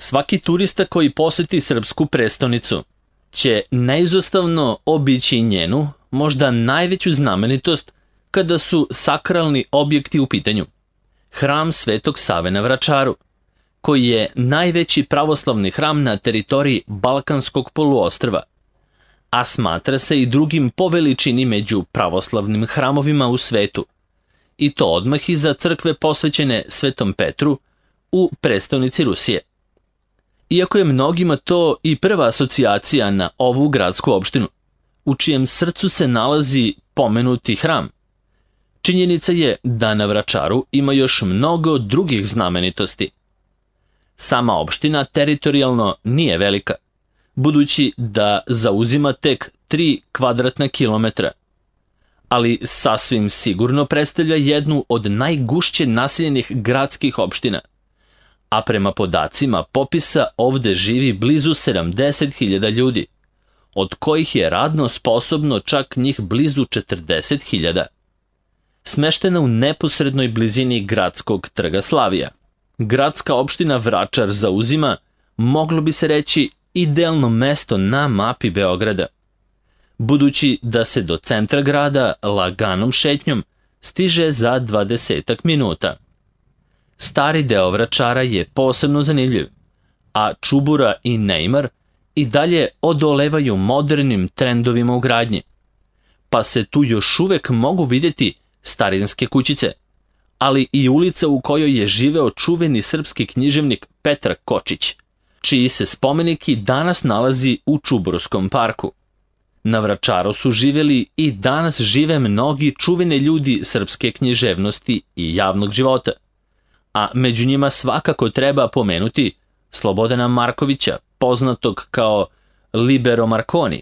Svaki turista koji poseti srpsku prestonicu će neizostavno obići njenu, možda najveću znamenitost kada su sakralni objekti u pitanju. Hram Svetog Save na Vračaru, koji je najveći pravoslavni hram na teritoriji Balkanskog poluostrva, a smatra se i drugim po veličini među pravoslavnim hramovima u svetu, i to odmah iza crkve posvećene Svetom Petru u prestonici Rusije. Iako je mnogima to i prva asocijacija na ovu gradsku opštinu, u čijem srcu se nalazi pomenuti hram, činjenica je da na Vračaru ima još mnogo drugih znamenitosti. Sama opština teritorijalno nije velika, budući da zauzima tek 3 kvadratna kilometra, ali sasvim sigurno predstavlja jednu od najgušće naseljenih gradskih opština, a prema podacima popisa ovde živi blizu 70.000 ljudi, od kojih je radno sposobno čak njih blizu 40.000. Smeštena u neposrednoj blizini gradskog trga Slavija, gradska opština Vračar zauzima, moglo bi se reći, idealno mesto na mapi Beograda, budući da se do centra grada laganom šetnjom stiže za 20 minuta. Stari deo Vračara je posebno zanimljiv, a Čubura i Neimar i dalje odolevaju modernim trendovima u gradnji, pa se tu još uvek mogu vidjeti starinske kućice, ali i ulica u kojoj je živeo čuveni srpski književnik Petar Kočić, čiji se spomenik i danas nalazi u Čuburskom parku. Na Vračaru su živjeli i danas žive mnogi čuveni ljudi srpske književnosti i javnog života, a među njima svakako treba pomenuti Slobodana Markovića, poznatog kao Libero Marconi,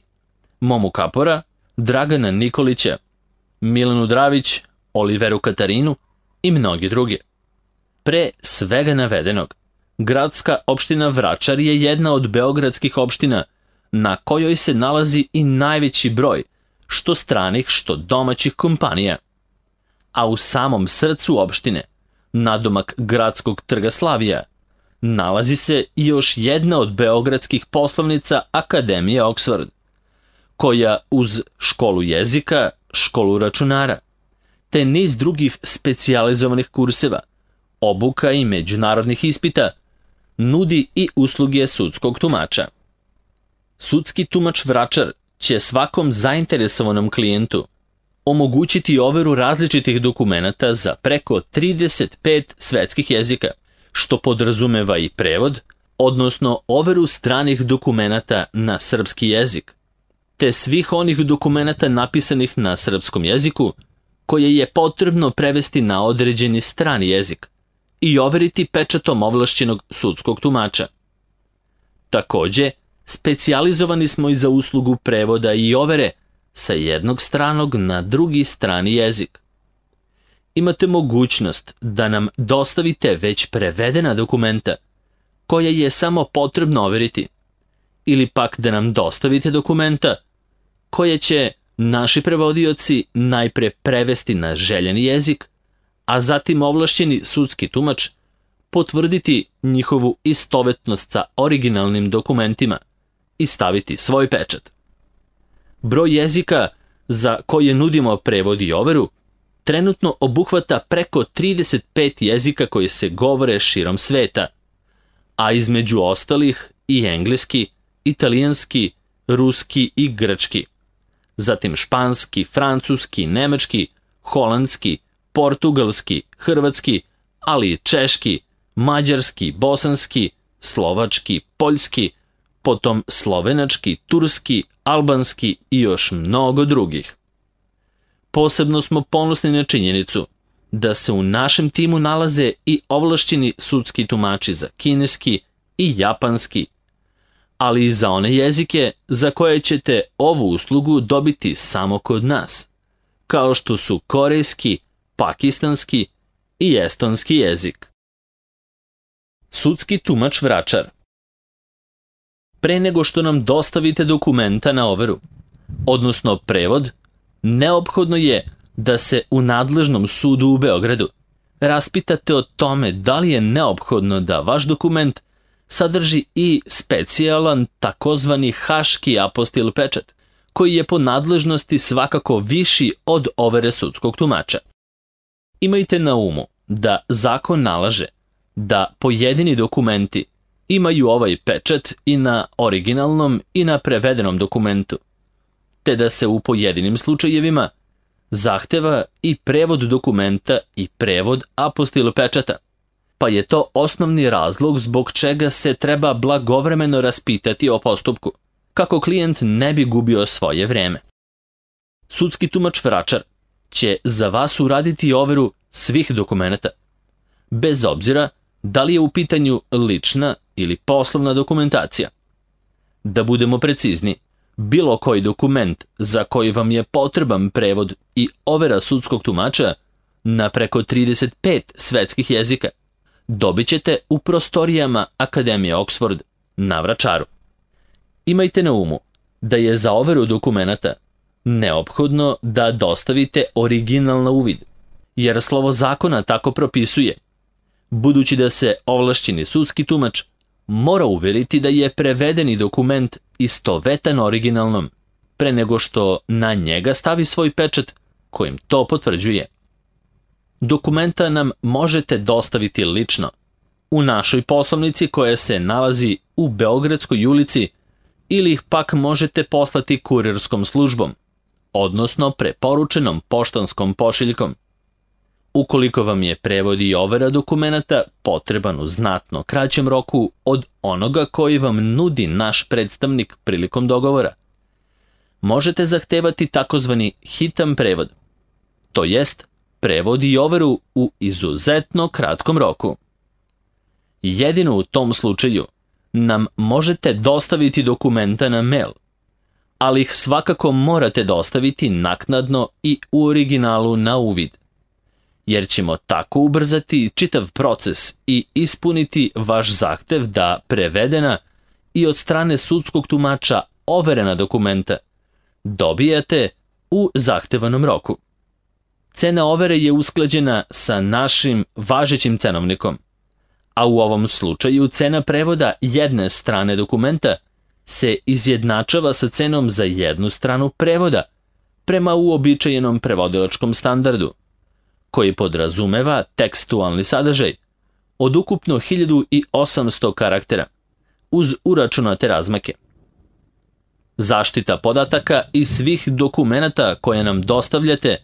Momu Kapora, Dragana Nikolića, Milanu Dravić, Oliveru Katarinu i mnogi drugi. Pre svega navedenog, gradska opština Vračar je jedna od beogradskih opština na kojoj se nalazi i najveći broj što stranih, što domaćih kompanija. A u samom srcu opštine, nadomak gradskog trga Slavija, nalazi se i još jedna od beogradskih poslovnica Akademije Oxford, koja uz školu jezika, školu računara, te niz drugih specijalizovanih kurseva, obuka i međunarodnih ispita, nudi i usluge sudskog tumača. Sudski tumač Vračar će svakom zainteresovanom klijentu omogućiti overu različitih dokumenata za preko 35 svetskih jezika, što podrazumeva i prevod, odnosno overu stranih dokumenata na srpski jezik, te svih onih dokumenata napisanih na srpskom jeziku koje je potrebno prevesti na određeni strani jezik i overiti pečatom ovlašćenog sudskog tumača. Takođe, specijalizovani smo i za uslugu prevoda i overe sa jednog stranog na drugi strani jezik. Imate mogućnost da nam dostavite već prevedena dokumenta koje je samo potrebno overiti, ili pak da nam dostavite dokumenta koje će naši prevodioci najpre prevesti na željeni jezik, a zatim ovlašćeni sudski tumač potvrditi njihovu istovetnost sa originalnim dokumentima i staviti svoj pečat. Broj jezika za koje nudimo prevod i overu trenutno obuhvata preko 35 jezika koji se govore širom sveta, a između ostalih i engleski, italijanski, ruski i grčki, zatim španski, francuski, nemački, holandski, portugalski, hrvatski, ali i češki, mađarski, bosanski, slovački, poljski, potom slovenački, turski, albanski i još mnogo drugih. Posebno smo ponosni na činjenicu da se u našem timu nalaze i ovlašćeni sudski tumači za kineski i japanski, ali i za one jezike za koje ćete ovu uslugu dobiti samo kod nas, kao što su korejski, pakistanski i estonski jezik. Sudski tumač Vračar. Pre nego što nam dostavite dokumenta na overu, odnosno prevod, neophodno je da se u nadležnom sudu u Beogradu raspitate o tome da li je neophodno da vaš dokument sadrži i specijalan takozvani haški apostil pečat, koji je po nadležnosti svakako viši od overe sudskog tumača. Imajte na umu da zakon nalaže da pojedini dokumenti imaju ovaj pečat i na originalnom i na prevedenom dokumentu, te da se u pojedinim slučajevima zahteva i prevod dokumenta i prevod apostil pečata, pa je to osnovni razlog zbog čega se treba blagovremeno raspitati o postupku, kako klijent ne bi gubio svoje vreme. Sudski tumač vračar će za vas uraditi overu svih dokumenata, bez obzira da li je u pitanju lična ili poslovna dokumentacija. Da budemo precizni, bilo koji dokument za koji vam je potreban prevod i overa sudskog tumača na preko 35 svetskih jezika dobit ćete u prostorijama Akademije Oxford na Vračaru. Imajte na umu da je za overu dokumenata neophodno da dostavite original na uvid, jer slovo zakona tako propisuje, budući da se ovlašćeni sudski tumač mora uveriti da je prevedeni dokument istovetan originalnom, pre nego što na njega stavi svoj pečat kojim to potvrđuje. Dokumenta nam možete dostaviti lično, u našoj poslovnici koja se nalazi u Beogradskoj ulici, ili ih pak možete poslati kurirskom službom, odnosno preporučenom poštanskom pošiljkom. Ukoliko vam je prevod i overa dokumenata potreban u znatno kraćem roku od onoga koji vam nudi naš predstavnik prilikom dogovora, možete zahtevati takozvani hitan prevod, to jest prevod i overu u izuzetno kratkom roku. Jedino u tom slučaju nam možete dostaviti dokumenta na mail, ali ih svakako morate dostaviti naknadno i u originalu na uvid, jer ćemo tako ubrzati čitav proces i ispuniti vaš zahtev da prevedena i od strane sudskog tumača overena dokumenta dobijate u zahtevanom roku. Cena overe je usklađena sa našim važećim cenovnikom, a u ovom slučaju cena prevoda jedne strane dokumenta se izjednačava sa cenom za jednu stranu prevoda prema uobičajenom prevodilačkom standardu, koji podrazumeva tekstualni sadržaj od ukupno 1800 karaktera, uz uračunate razmake. Zaštita podataka i svih dokumenata koje nam dostavljate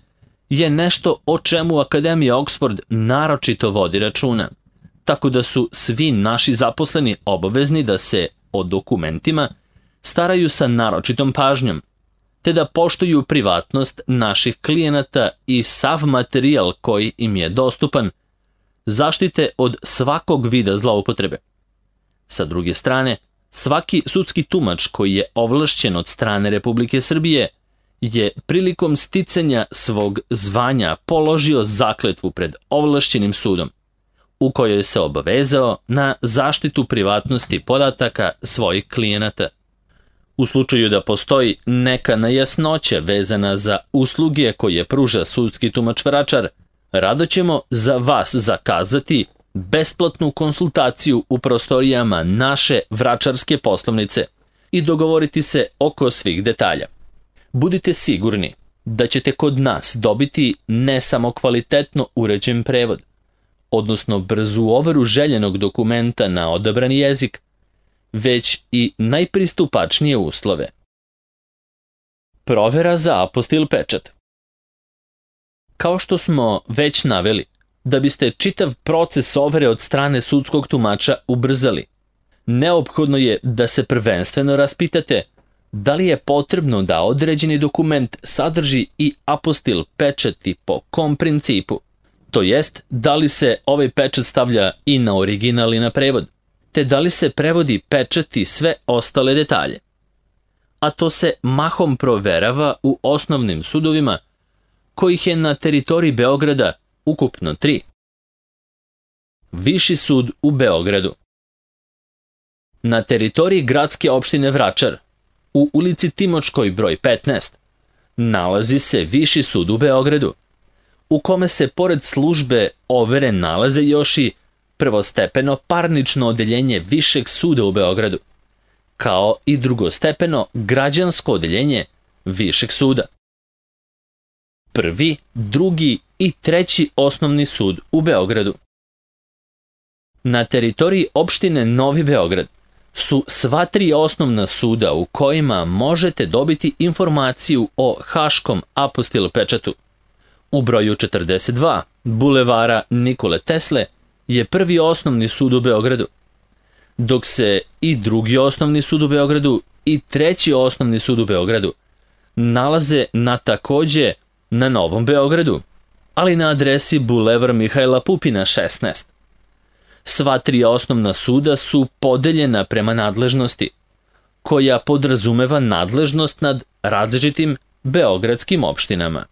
je nešto o čemu Akademija Oxford naročito vodi računa, tako da su svi naši zaposleni obavezni da se o dokumentima staraju sa naročitom pažnjom, te da poštuju privatnost naših klijenata i sav materijal koji im je dostupan zaštite od svakog vida zloupotrebe. Sa druge strane, svaki sudski tumač koji je ovlašćen od strane Republike Srbije je prilikom sticanja svog zvanja položio zakletvu pred ovlašćenim sudom, u kojoj se obavezao na zaštitu privatnosti podataka svojih klijenata. U slučaju da postoji neka nejasnoća vezana za usluge koje pruža sudski tumač vračar, rado ćemo za vas zakazati besplatnu konsultaciju u prostorijama naše vračarske poslovnice i dogovoriti se oko svih detalja. Budite sigurni da ćete kod nas dobiti ne samo kvalitetno uređen prevod, odnosno brzu overu željenog dokumenta na odabrani jezik, već i najpristupačnije uslove. Provera za apostil pečat. Kao što smo već naveli, da biste čitav proces overe od strane sudskog tumača ubrzali, neophodno je da se prvenstveno raspitate da li je potrebno da određeni dokument sadrži i apostil pečati po kom principu, to jest da li se ovaj pečat stavlja i na original i na prevod, te da li se prevodi pečati sve ostale detalje. A to se mahom proverava u osnovnim sudovima, kojih je na teritoriji Beograda ukupno 3. Viši sud u Beogradu. Na teritoriji gradske opštine Vračar, u ulici Timočkoj broj 15, nalazi se Viši sud u Beogradu, u kome se pored službe overe nalaze još i prvostepeno parnično odeljenje Višeg suda u Beogradu, kao i drugostepeno građansko odeljenje Višeg suda. Prvi, drugi i treći osnovni sud u Beogradu. Na teritoriji opštine Novi Beograd su sva tri osnovna suda u kojima možete dobiti informaciju o Haškom apostilopečatu. U broju 42 bulevara Nikole Tesle je prvi osnovni sud u Beogradu, dok se i drugi osnovni sud u Beogradu i treći osnovni sud u Beogradu nalaze takođe na Novom Beogradu, ali na adresi Bulevar Mihajla Pupina 16. Sva tri osnovna suda su podeljena prema nadležnosti, koja podrazumeva nadležnost nad različitim beogradskim opštinama.